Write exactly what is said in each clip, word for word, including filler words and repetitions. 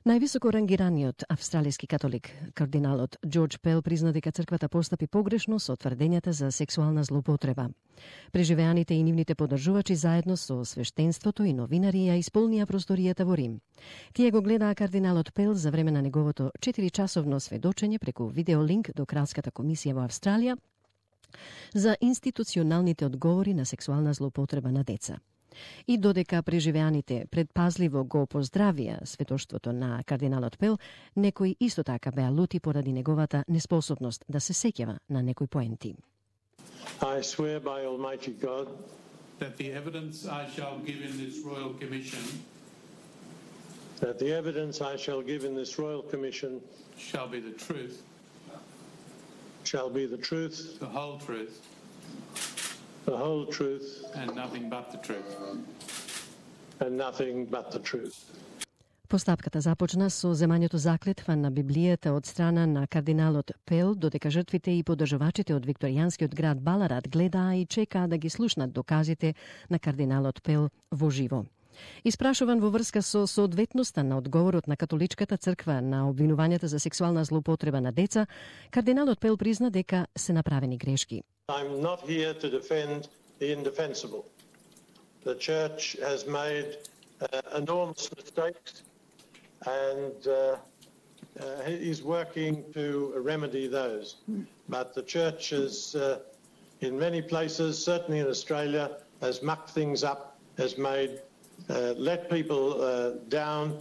Највисоко рангираниот австралиски католик, кардиналот Џорџ Пел, призна дека црквата постапи погрешно со тврдењата за сексуална злоупотреба. Преживеаните и нивните поддржувачи заедно со свештенството и новинари ја исполнија просторијата во Рим. Тие го гледаа кардиналот Пел за време на неговото четиричасовно сведочење преку видеолинк до Кралската комисија во Австралија за институционалните одговори на сексуална злоупотреба на деца. И додека преживеаните предпазливо го поздравија светоштвото на кардиналот Пел, некои исто така беа лути поради неговата неспособност да се сеќава на некои поенти. I swear by Almighty God that the evidence I shall give in this royal commission that the evidence I shall give in this royal commission shall be the truth, shall be the truth, the whole truth, the whole truth, and nothing but the truth. and nothing but the truth. Постапката започна со земањето заклетва на Библијата од страна на кардиналот Пел, додека жртвите и поддржувачите од викторијанскиот град Баларат гледаа и чекаа да ги слушнат доказите на кардиналот Пел во живо. Испрашуван во врска со соодветноста на одговорот на католичката црква на обвинувањата за сексуална злоупотреба на деца, кардиналот Пел призна дека се направени грешки. I'm not here to defend the indefensible. The church has made uh, enormous mistakes and uh, uh, is working to remedy those. But the church is, uh, in many places, certainly in Australia, has mucked things up, has made, uh, let people uh, down.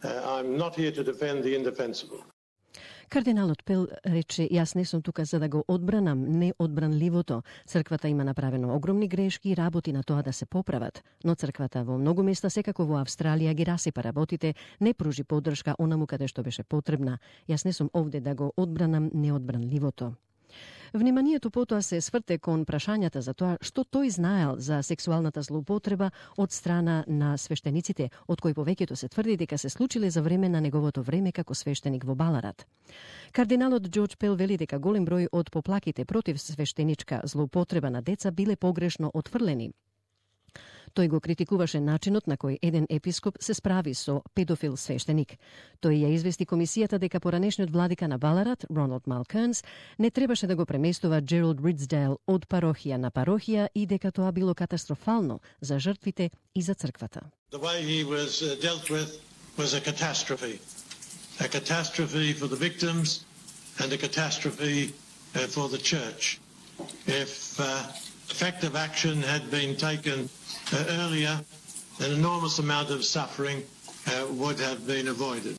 Uh, I'm not here to defend the indefensible. Кардиналот Пел рече: "Јас не сум тука за да го одбранам неодбранливото. Црквата има направено огромни грешки и работи на тоа да се поправат, но црквата во многу места, секако во Австралија, ги расипа работите, не пружи поддршка онаму каде што беше потребна. Јас не сум овде да го одбранам неодбранливото." Вниманието потоа се сврте кон прашањата за тоа што тој знаел за сексуалната злоупотреба од страна на свештениците, од кои повеќето се тврди дека се случиле за време на неговото време како свештеник во Баларат. Кардиналот Џорџ Пел вели дека голем број од поплаките против свештеничка злоупотреба на деца биле погрешно отфрлени. Тој го критикуваше начинот на кој еден епископ се справи со педофил свештеник. Тој ја извести комисијата дека поранешниот владика на Баларат, Роналд Малкернс, не требаше да го преместува Джералд Ридсдейл од парохија на парохија и дека тоа било катастрофално за жртвите и за црквата. The way he was uh, dealt with was a catastrophe. A catastrophe for the victims and a catastrophe uh, for the church. If uh, effective action had been taken uh, earlier, an enormous amount of suffering uh, would have been avoided.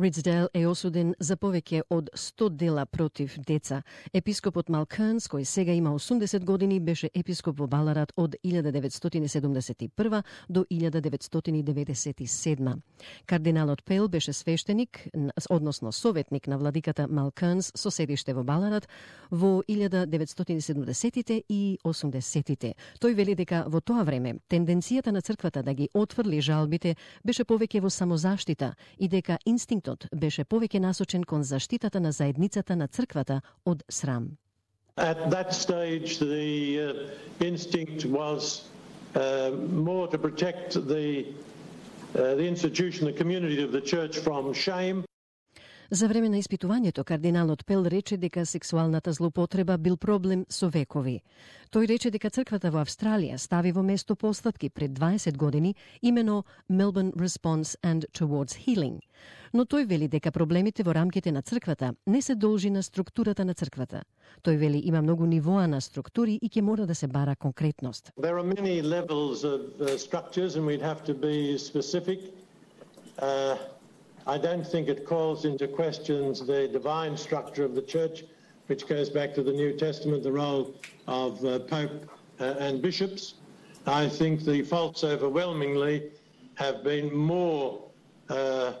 Ридсдейл е осуден за повеќе од сто дела против деца. Епископот Малкернс, кој сега има осумдесет години, беше епископ во Баларат од илјада деветстотини седумдесет и прва до илјада деветстотини деветдесет и седма. Кардиналот Пел беше свештеник, односно советник на владиката Малкернс со седиште во Баларат во илјада деветстотини седумдесетите и осумдесетите. Тој вели дека во тоа време тенденцијата на црквата да ги отфрли жалбите беше повеќе во самозаштита и дека инстинктот беше повеќе насочен кон заштитата на заедницата на црквата од срам. At that stage, the uh, instinct was uh, more to protect the, uh, the institution, the community of the church from shame. За време на испитувањето, кардиналот Пел рече дека сексуалната злоупотреба бил проблем со векови. Тој рече дека црквата во Австралија стави во место постапки пред дваесет години, имено Melbourne Response and Towards Healing. Но тој вели дека проблемите во рамките на црквата не се должи на структурата на црквата. Тој вели има многу нивоа на структури и ќе мора да се бара конкретност. There are many levels of uh, structures and we'd have to be specific. Uh, I don't think it calls into questions the divine structure of the church, which goes back to the New Testament, the role of uh, Pope uh, and bishops. I think the faults overwhelmingly have been more uh,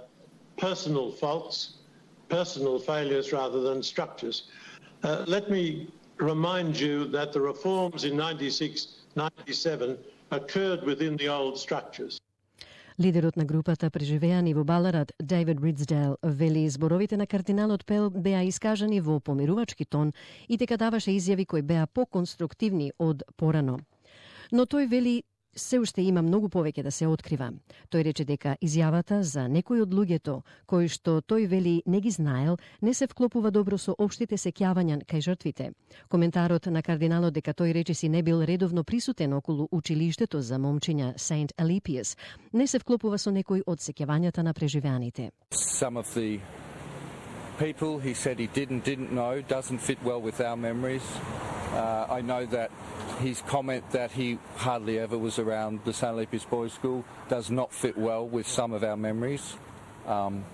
personal faults, personal failures rather than structures. Uh, let me remind you that the reforms in ninety-six ninety-seven occurred within the old structures. Лидерот на групата преживеани во Баларат, Дейвид Ридсдейл, вели зборовите на кардиналот Пел беа искажани во помирувачки тон и дека даваше изјави кои беа поконструктивни од порано. Но тој вели се уште има многу повеќе да се открива. Тој рече дека изјавата за некој од луѓето, кои што тој вели не ги знаел, не се вклопува добро со општите сеќавања кај жртвите. Коментарот на кардиналот дека тој речиси не бил редовно присутен околу училиштето за момчиња Saint Alippius не се вклопува со некој од сеќавањата на преживеаните. Some of the people he said he didn't didn't know doesn't fit well with our memories. Uh, I know that his comment that he hardly ever was around the Saint Alippius Boys School does not fit well with some of our memories. Um,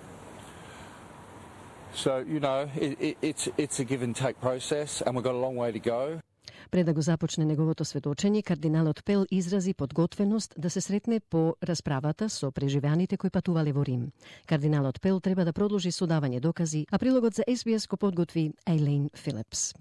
so, you know, it, it, it's, it's a give and take process and we've got a long way to go. Пред да го започне неговото сведочење, кардиналот Пел изрази подготвеност да се сретне по расправата со преживеаните кои патувале во Рим. Кардиналот Пел треба да продолжи со давање докази, а прилогот за Ес Би Ес го подготви Ейлейн Филипс.